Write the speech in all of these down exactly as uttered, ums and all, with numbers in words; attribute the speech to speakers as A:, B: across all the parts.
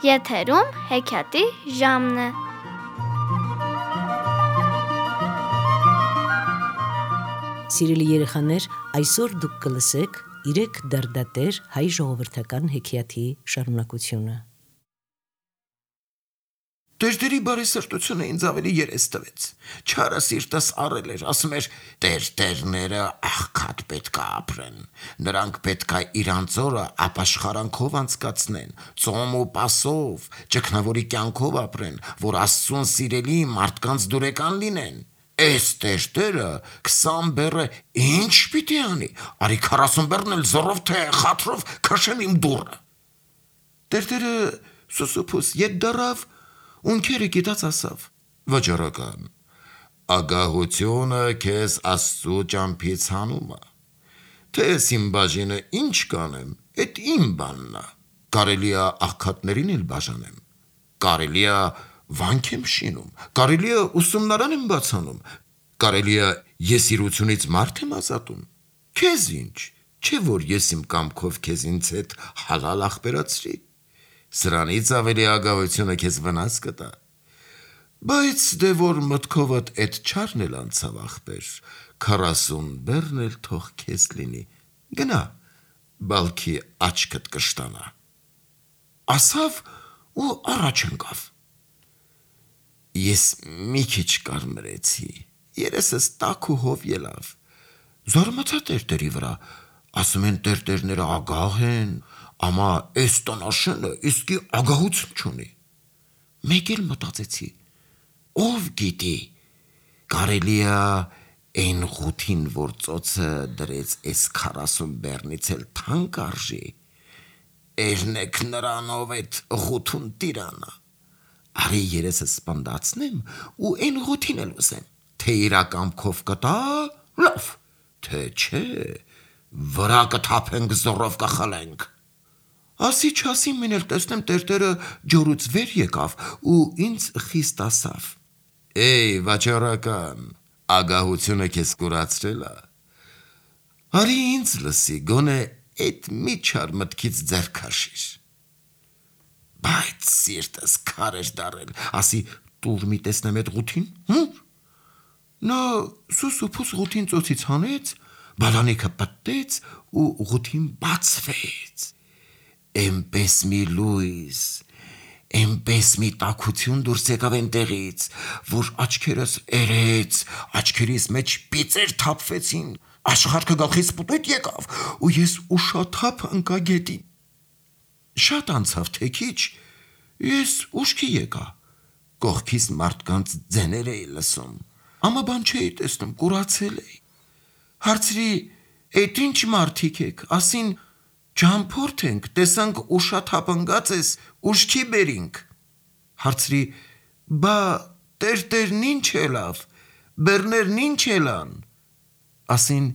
A: Եթերում հեքիաթի ժամն է։
B: Սիրելի երեխաներ, այսօր դուք կլսեք իրեք դարդատեր հայ ժողովրդական հեքիաթի շարունակությունը։
C: Տերտերի բարեսրտությունը ինձ ավելի երես տվեց։ Չարը սիրտս առել էր, ասում էր, տերտերները աղքատ պետք է ապրեն, նրանք պետք է իրանց օրը ապաշխարանքով անցկացնեն, ծոմ ու պասով, ճգնավորի կյանքով ապրեն, որ Աստծուն սիրելի մարդկանց դուրեկան լինեն։ Էս տերտերը քսան բեռը ինչ պիտի անի, արի քառասուն բեռն էլ զորով թե խաթրով քաշեմ իմ դուռը։ Տերտերը սուսուփուս ետ դարավ, ունքերը գիտած ասավ. վաճառական, ագահությունը քեզ Աստծու ճամփից հանում է, թե ես իմ բաժինը ինչ կանեմ, էդ իմ բանն է, կարելի է աղքատներին էլ բաժանեմ, կարելի է վանք եմ շինում, կարելի է ուսումնարան եմ բացանում, կարելի է եսիրությունից մարդ եմ ազատում, քեզ ինչ, չէ որ ես իմ կամքով քեզ ինձ հետ հալալ ախպերացրի, սրանից ավելի ագահությունը քեզ վնաս կտա, բայց դե որ մտքովդ էդ չարն էլ անցավ ախպեր, քառասուն բեռն էլ թող քեզ լինի, գնա, բալքի աչքդ կշտանա, ասավ ու առաջ ընկավ։ Ես մի քիչ կարմրեցի, երեսս տաք ու հով ելավ, զարմացա տերտերի վրա, ասում են տերտերները ագահ են, ամա էս տնաշենը իսկի ագահություն չունի, մեկ էլ մտածեցի, ով գիտի, կարելի է այն ղութին, որ ծոցը դրեց էս քառասուն բեռնից էլ թանկ արժի, էրնեք նրանով էդ ղութուն տիրանա, արի երեսս սպանդացնեմ ու այն ղութին էլ ուզեմ, թե իրակամքով կտա, լավ, թե չէ, վրա կթափենք զորով կխլենք։ Ասի չասի մին էլ տեսնեմ տերտերը ջորուց վեր եկավ ու ինձ խիստ ասավ. Էй վաճառական, ագահությունը քեզ կուրացրել է, արի ինձ լսի, գոնե էդ մի չար մտքից ձեռ քաշիր։ Բայց սիրտս քար էր դարել, ասի տուր մի տեսնեմ էդ ղութին, հմ? Նա սուսուփուս ղութին ծոցից հանեց, բալանիքը պտտեց ու ղութին բացվեց, էնպես մի լույս, էնպես մի տաքություն դուրս եկավ այնտեղից, որ աչքերս էրեց, աչքերիս մեջ պիծեր թափվեցին, աշխարհքը գլխիս պտույտ եկավ ու ես ուշաթափ ընկա գետին։ Շատ անցավ թե քիչ, ես ուշքի եկա, կողքիս մարդկանց ձեներ էի լսում, ամա բան չէի տեսնում, կուրացել էի, հարցրի, էդ ինչ մարդիկ եք, ասին ճամփորդ ենք, տեսանք ուշաթափ ընկած ես, ուշքի բերինք, հարցրի, բա տերտերն ինչ ելավ, բեռներն ինչ ելան, ասին,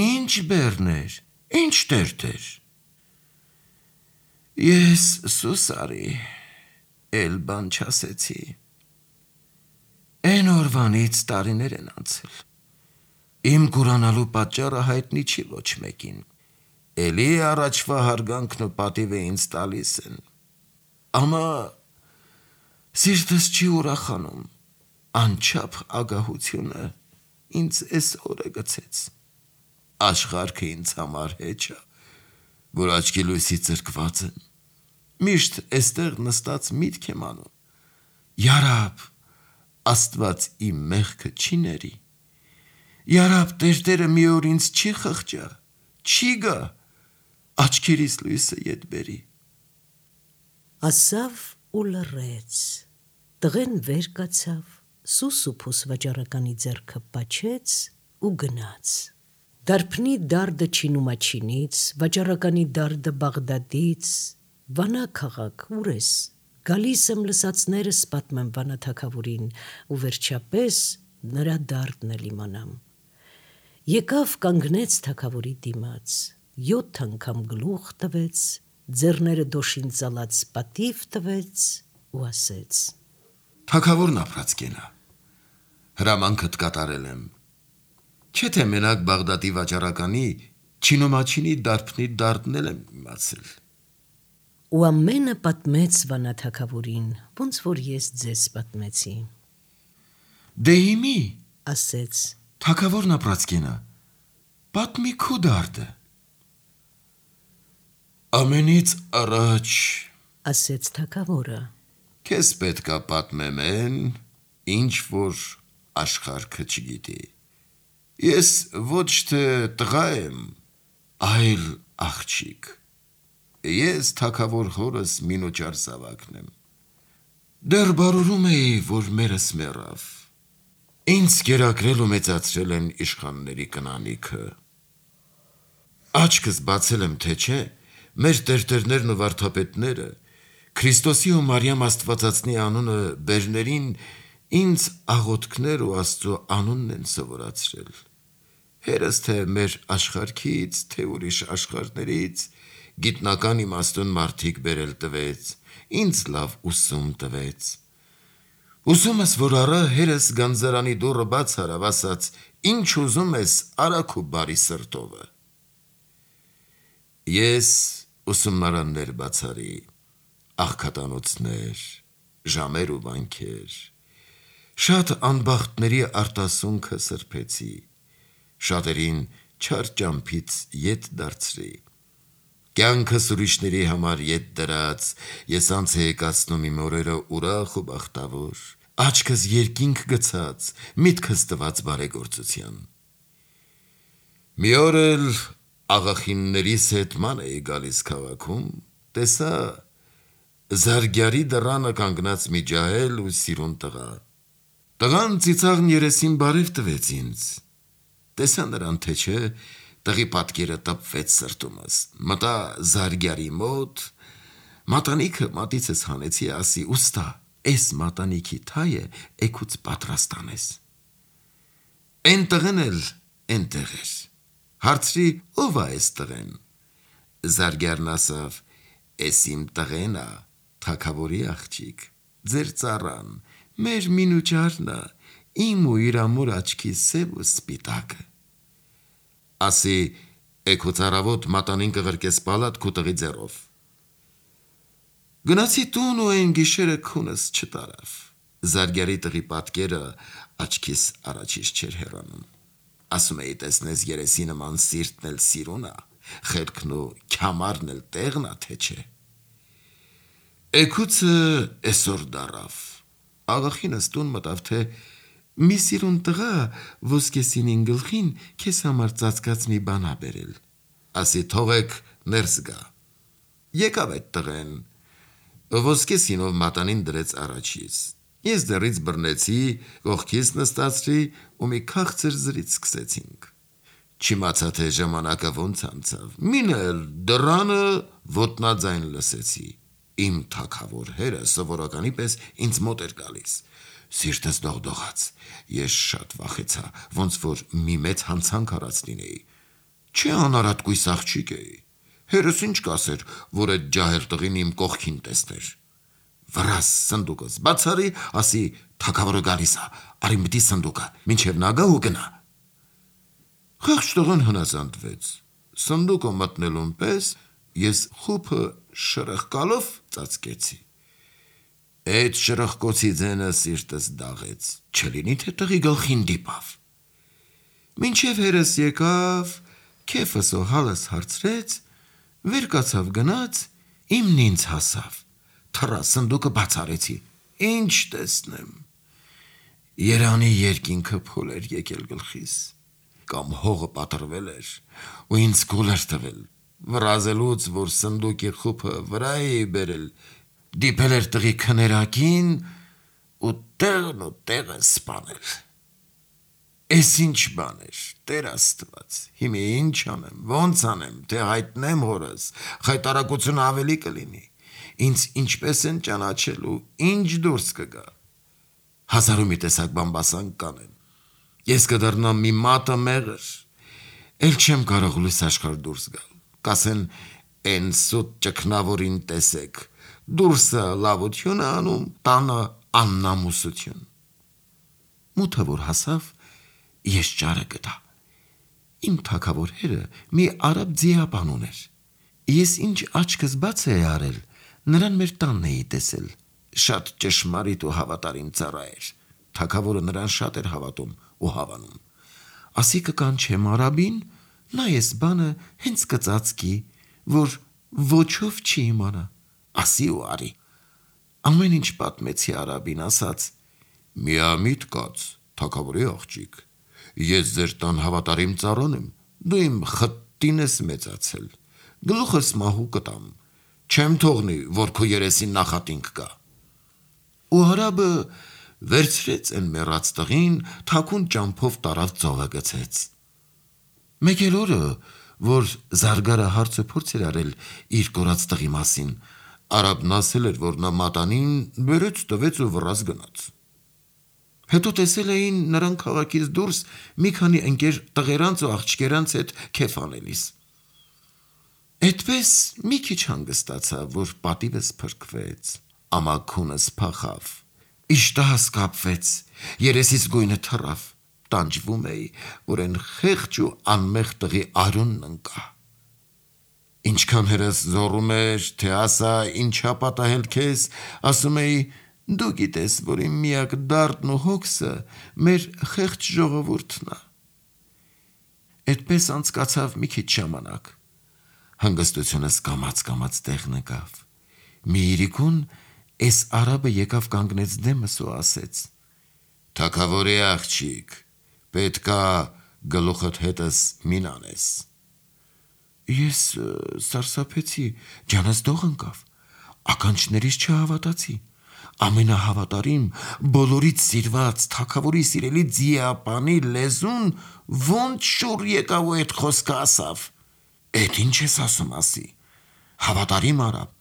C: ինչ բեռներ, ինչ տերտեր։ Ես սուս արի, էլ բան չասեցի, այն օրվանից տարիներ են անցել, իմ կուրանալու պատճառը հայտնի չի ոչ մեկին, էլի առաջվա հարգանքն ու պատիվը ինձ տալիս են, ամա սիրտս չի ուրախանում, անչափ ագահությունը ինձ էս օրը գցեց, աշխարհքը ինձ համար հեչ է, որ աչքի լույսի ծրկված եմ, միշտ էստեղ նստած միտք եմ անում, յարաբ, Աստված իմ մեղքը չի ների, յարաբ տերտերը մի օր ինձ չի խղճա, չի գա, աչքերիս լույսը ետ բերի։
B: Ասավ ու լռեց, տղեն վեր կացավ, սուսուփուս վաճառականի ձեռքը պաչեց ու գնաց, դարբնի դարդը Չինումաչինից, վաճառականի դարդը Բաղդադից, Վանա քաղաք, ուր ես, գալիս եմ լսածներս պատմեմ Վանա թագավորին ու վերջապես նրա դարդն էլ իմանամ։ Եկավ կանգնեց թագավորի դիմաց, յոթ անգամ գլուխ տվեց, ձեռները դոշին ծալած պատիվ տվեց ու ասեց.
C: Թագավորն ապրած կենա, հրամանքդ կատարել եմ, չէ թե մենակ Բաղդադի վաճառականի Չինումաչինի դարբնի դարդն էլ եմ իմացել։
B: ու ամենը պատմեց վանաթագավորին, ոնց որ ես ձեզ պատմեցի։
C: Դե հիմի,
B: ասեց.
C: թագավորն ապրածկենա, պատմի քու դարդը։ Ամենից առաջ,
B: ասեց թագավորը,
C: քեզ պետքա պատմեմ են, ինչ որ աշխարհքը չգիտի։ Ես ոչ թե տղա եմ, այլ աղջիկ։ Ես թագավոր հորս մինոճար զավակն եմ։ Դեռ բարուրում էի, որ մերս մեռավ։ Ինձ կերակրել ու մեծացրել են իշխանների կնանիքը։ Աչքս բացել եմ, թե չէ, մեր տերտերներն ու վարդապետները Քրիստոսի ու Մարիամ Աստվածածնի անունը բերներին ինձ աղոթքներ ու Աստծո անունն են սովորացրել։ Հերս թե մեր աշխարհքից, թե ուրիշ աշխարհներից գիտնական իմաստուն մարդիկ բերել տվեց, ինձ լավ ուսում տվեց։ Ուսումս, որ առա, հերս գանձարանի դուռը բաց արավ, ասաց. ինչ ուզում ես, արա քո բարի սրտովը։ Ես ուսումնարաններ բացարի, աղքատանոցներ, ժամեր ու վանքեր, շատ անբախտների արտասունքը սրբեցի, շատերին չար ճամփից ետ դարձրի։ Կյանքս ուրիշների համար ետ դրած, ես անց է եկացնում իմ օրերը ուրախ ու բախտավոր, աչքս երկինք գցած, միտքս տված բարեգործության։ Մի օր էլ աղախիններիս հետ ման էի գալիս քաղաքում, տեսա Զարգյարի դռանը կանգնած մի ջահել ու սիրուն տղա։ Տղան ծիծաղն երեսին բարև տվեց ինձ։ Տեսա նրան, թե չէ, տղի պատկերը տպվեց սրտումս։ Մտա Զարգյարի մոտ, մատանիքը մատիցս հանեցի, ասի. ուստա, էս մատանիքի թայը էքուց պատրաստ անես։ Էն տղեն էլ էնտեղ էր։ Հարցրի. ով ա էս տղեն։ Զարգյարն ասավ. էս իմ տղեն ա, թագավորի աղջիկ, ձեր ծառան, մեր մինուճարն ա, իմ ու իր ամուր աչքի սև ու սպիտակը։ Ասի. էքո ծառավոտ մատանին կղրկես պալատ քու տղի ձեռով։ Գնացի տուն ու այն գիշերը քունս չտարավ։ Զարգյարի տղի պատկերը աչքիս առաջից չէր հեռանում։ Ասում էի, տեսնես երեսի նման սիրտն էլ սիրուն ա, խելքն ու քյամարն էլ տեղն ա, թե չէ։ Էքուցը էսօր դարավ։ Աղախինս տուն մտավ, թե մի սիրուն տղա ոսկեսինին գլխին քեզ համար ծածկած մի բան ա բերել։ Ասի թողեք ներս գա։ Եկավ այդ տղեն, ոսկեսինով մատանին դրեց առաջից։ Ես դեռից բռնեցի, կողքիս նստացրի ու մի քաղցր զրից սկսեցինք։ Չիմացա, թե ժամանակը ոնց անցավ։ Մինը էլ դռանը ոտնաձայն լսեցի։ Իմ թագավոր հերը սովորականի պես ինձ մոտ էր գալիս։ Սիրտս դողդողաց։ Ես շատ վախեցա, ոնց որ մի մեծ հանցանք արած լինեի։ Չէ անարատ կույս աղջիկ էի։ Հերս ինչ կասեր, որ այդ ջահել տղին իմ կողքին տեսներ։ Վրաս սնդուկս բացարի, ասի. թագավորը գալիս ա, արի մտի սնդուկը, մինչև նա գա ու գնա։ Խեղճ տղան հնազանդվեց։ Սնդուկը մտնելուն պես ես խուփը շրխկալով ծածկեցի։ Այդ շրխկոցի ձենը սիրտս դաղեց, չլինի թե տղի գլխին դիպավ։ Մինչև հերս եկավ, քեֆս ու հալս հարցրեց, վեր կացավ գնաց, իմն ինձ հասավ։ Թռա սնդուկը բաց արեցի, ինչ տեսնեմ։ Երանի երկինքը փոլ էր եկել գլխիս, կամ հողը պատրվել էր, ու ինձ գոլ էր տվել, վրազելուց, որ սնդուկի խուփը վրա էի բերել, դիպել էր տղի քներակին ու տեղն ու տեղը սպանել։ Էս ինչ բան էր, Տեր Աստված, հիմա ինչ անեմ, ոնց անեմ, թե հայտնեմ հորս, խայտարակությունը ավելի կլինի, ինձ ինչպես են ճանաչելու, ինչ դուրս կգա։ Հազարու մի տեսակ բամբասանք կանեն։ Ես կդառնամ մի մատը մեղր, էլ չեմ կարող լույս աշխարհ դուրս գալ։ Կասեն են սուտ ճգնավորին տեսեք, դուրսը լավություն է անում, տանը աննամուսություն։ Մութը որ հասավ, ես ճարը գտա։ Իմ թագավոր հերը մի արաբ ձիապան ուներ։ Ես ինչ աչքս բաց էի արել, Նրան մեր տանն էի տեսել, շատ ճշմարիտ ու հավատարիմ ծառա էր, թագավորը նրան շատ էր հավատում ու հավանում, ասի կկանչեմ արաբին, նա ես բանը հենց կծածկի, որ ոչով չի իմանա, ասի ու արի, ամեն ինչ պատմեցի արաբին, ասաց, միամիտ կաց, թագավորի աղջիկ, ես ձեր տան հավատարիմ ծառան եմ, դու իմ խտտին ես մեծացել, գլուխս մահու կտամ, չեմ թողնի, որ քո երեսին նախատինք կա։ Ու արաբը վերցրեց են մեռած տղին, թաքուն ճամփով տարավ ծովը գցեց։ Մեկ էլ օրը, որ զարգարը հարցը փորձ էր արել իր կորած տղի մասին, արաբն ասել էր, որ նա մատանին բերեց տվեց ու վռaz գնաց։ Հետո տեսել էին նրան քաղաքից դուրս մի քանի ընկեր տղերանց ու աղջկերանց հետ քեֆ անելիս։ Այդպես մի քիչ հանգստացա, որ պատիվս փրկվեց, ամաքունս փախավ, իշտահս կապվեց, երեսից գույնը թռավ, տանջվում էի, որ են խեղճ ու անմեղ տղի արյունն ընկա։ Ինչքան հերս զոռում էր, թե ասա ինչա պատահել քեզ, ասում էի, դու գիտես, որ իմ միակ դարդն ու հոգսը մեր խեղճ ժողովուրդն է։ Այդպես անցկացավ մի քիչ ժամանակ։ Հանգստությունս կամաց-կամաց տեղն ընկավ։ Մի իրիկուն էս արաբը եկավ կանգնեց դեմս ու ասեց. Թագավորի աղջիկ, պետքա գլուխդ հետս մին անես։ Ես սարսափեցի, ջանս դող ընկավ, ականջներիս չհավատացի, ամենահավատարիմ, բոլորից սիրված, թագավորի սիրելի ձիապանի լեզուն ոնց շուռ եկավ ու այդ խոսքը ասավ։ Էդ ինչ ես ասում ասի, հավատարիմ արաբ,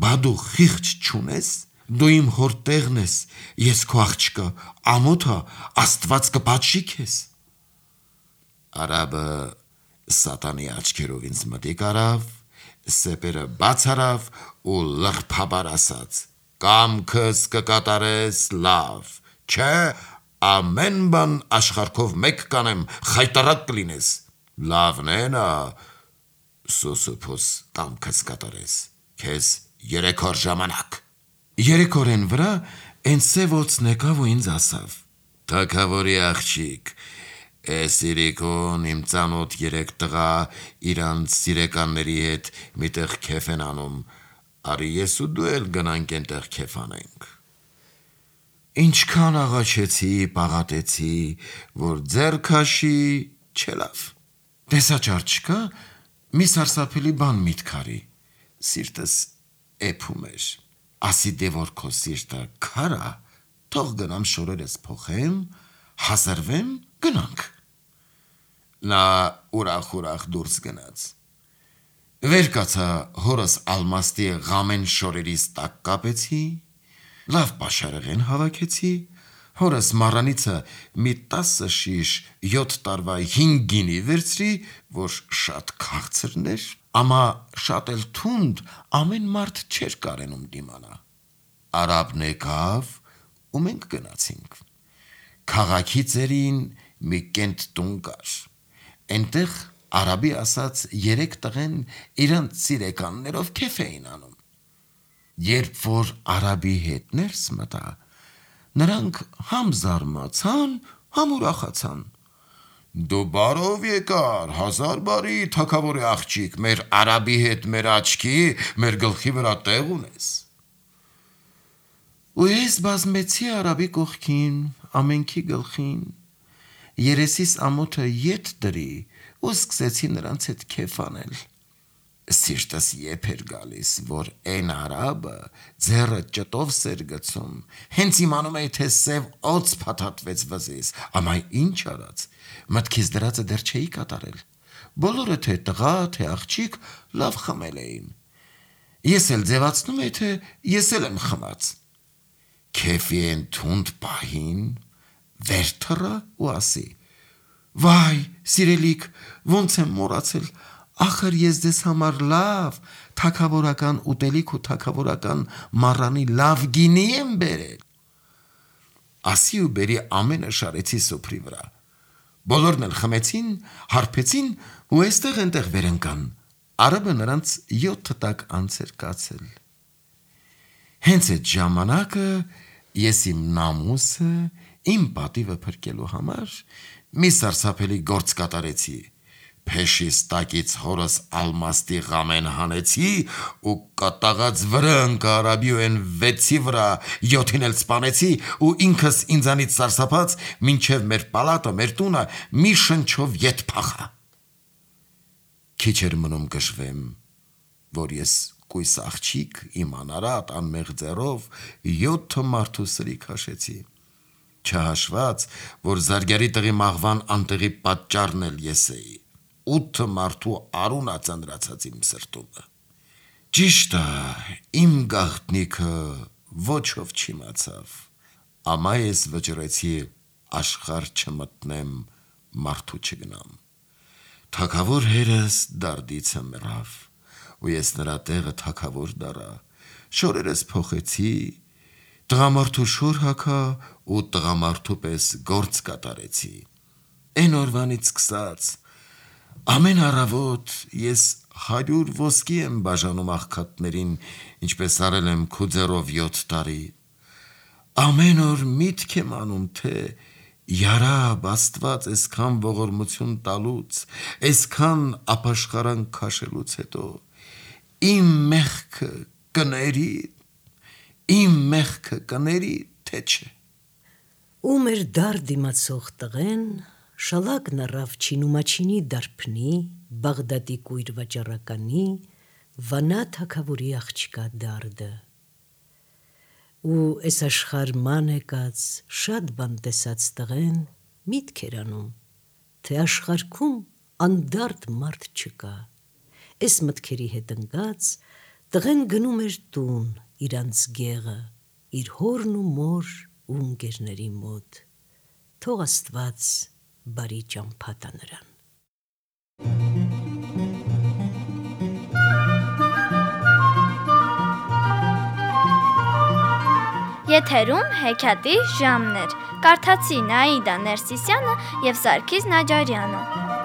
C: բա դու խիղճ չունես, դու իմ հոր տեղն ես, ես քո աղջկա, ամոթա, աստված կպատժի քեզ։ Արաբը սատանի աչքերով ինձ մտիկ արավ, սեպերը բաց արավ ու լղփաբար ասաց. Կամքս կկատարես լավ, չէ, ամեն բան աշխարհքով մեկ կանեմ, խայտարակ կլինես, լավն է նա, սոսոփոս կամքս կատարես, քեզ երեք օր ժամանակ։ Երեք օրեն վրա այն սևոցն եկավ ու ինձ ասավ. Թագավորի աղջիկ, էս իրիկուն իմ ծանոթ երեք տղա իրանց սիրեկանների հետ միտեղ քեֆ են անում, արի ես ու դու էլ գնանք այնտեղ քեֆ անենք։ Ինչքան աղաչեցի, պաղատեցի, որ ձեռ քաշի, չելավ։ Տեսաճար չկա, մի սարսափելի բան միտք արի, սիրտս էփում էր, ասի դե որ քո սիրտը քարա, թող գնամ շորերս փոխեմ, հազարվեմ, գնանք։ Նա ուրախ-ուրախ դուրս գնաց։ Վեր կացա հորս ալմաստի ղամեն շորերիս տակ կապեցի, լավ պաշարեղեն հավաքեցի, հորս մառանիցը մի տասը շիշ յոթ տարվա հինգ գինի վերցրի, որ շատ քաղցրն էր, ամա շատ էլ թունդ ամեն մարդ չէր կարենում դիմանա։ Արաբն եկավ ու մենք գնացինք։ Քաղաքի ծերին մի կենտ տուն կար։ Այնտեղ արաբի ասած երեք տղեն իրանց սիրեկաններով քեֆ էին անում։ Երբ որ արաբի հետ ներս մտա, նրանք համ զարմացան, համ ուրախացան։ Դու բարով եկար, հազար բարի, թագավորի աղջիկ, մեր արաբի հետ մեր աչքի, մեր գլխի վրա տեղ ունես։ Ու ես բազմեցի արաբի կողքին, ամենքի գլխին, երեսիս ամոթը ետ դրի ու սկսեցի նրանց հետ քեֆ անել։ Սիրտս եփ էր գալիս, որ այն արաբը ձեռը ճտով սեր գցում, հենց իմանում էի, թե սև օծ փաթաթվեց վզիս, ամայ ինչ արած, մտքիս դրածը դեռ չէի կատարել, բոլորը թե տղա, թե աղջիկ լավ խմել էին, ես էլ ձևացնում էի, թե ես էլ եմ խմած, քեֆի են թունդ պահին, վեր թռա ու ասի, վայ, սիրելիք, ոնց եմ մոռացել, ախր ես ձեզ համար լավ, թագավորական ուտելիք ու թագավորական մառանի լավ գինի եմ բերել։ Ասի ու բերի ամենը շարեցի սոփրի վրա։ Բոլորն էլ խմեցին, հարբեցին ու այստեղ այնտեղ վեր ընկան։ Արաբը նրանց յոթ տակ անց էր կացել։ Հենց այդ ժամանակը ես իմ նամուսը, իմ պատիվը փրկելու համար մի սարսափելի գործ կատարեցի։ Փեշիս տակից հորս ալմաստի ղամեն հանեցի ու կատաղած վրա ընկա արաբիոեն վեցի վրա յոթին էլ սպանեցի ու ինքս ինձանից սարսափած մինչև մեր պալատը, մեր տունը մի շնչով ետ փախա։ Քիչ էր մնում գժվեմ, որ ես կույս աղջիկ իմ անարատ անմեղ ձեռով յոթ մարդու սրի քաշեցի, չհաշված, որ զարգարի տղի մաղվան անտեղի պատճառն էլ ես էի, ութ մարդու արունա ծանրացած իմ սրտումը։ Ճիշտ է, իմ գաղտնիքը ոչով չիմացավ, ամա ես վճռեցի աշխարհ չմտնեմ, մարդու չգնամ։ Թագավոր հերս դարդիցը մեռավ, ու ես նրա տեղը թագավոր դառա, շորերս փոխեցի, տղամարդու շոր հագա ու տղամարդու պես գործ կատարեցի։ Էն օրվանից սկսած ամեն առավոտ ես հարյուր ոսկի եմ բաժանում աղքատներին, ինչպես արել եմ քու ձեռով յոթ տարի։ Ամեն օր միտք եմ անում, թե Յարաբ Աստված այսքան ողորմություն տալուց, այսքան ապաշխարանք քաշելուց հետո իմ մեղքը կների, իմ մեղքը կների, թե չէ։
B: Ու մեր դար դիմացող տղեն շալակն առավ Չինումաչինի դարբնի, Բաղդադի կույր վաճառականի, Վանա թագավորի աղջկա դարդը։ Ու այս աշխարհ ման եկած շատ բան տեսած տղեն միտք էր անում, թե աշխարհքում անդարդ մարդ չկա։ Այս մտքերի հետ ընկած տղեն գնում էր տուն իրանց գեղը, իր հորն ու մոր ու ընկերների մոտ։ Թող Աստված բարի ճամփա տա նրան։
A: Եթերում հեքիաթի ժամն էր։ Կարդացին Աիդա Ներսիսյանը և Սարգիս Նաջարյանը։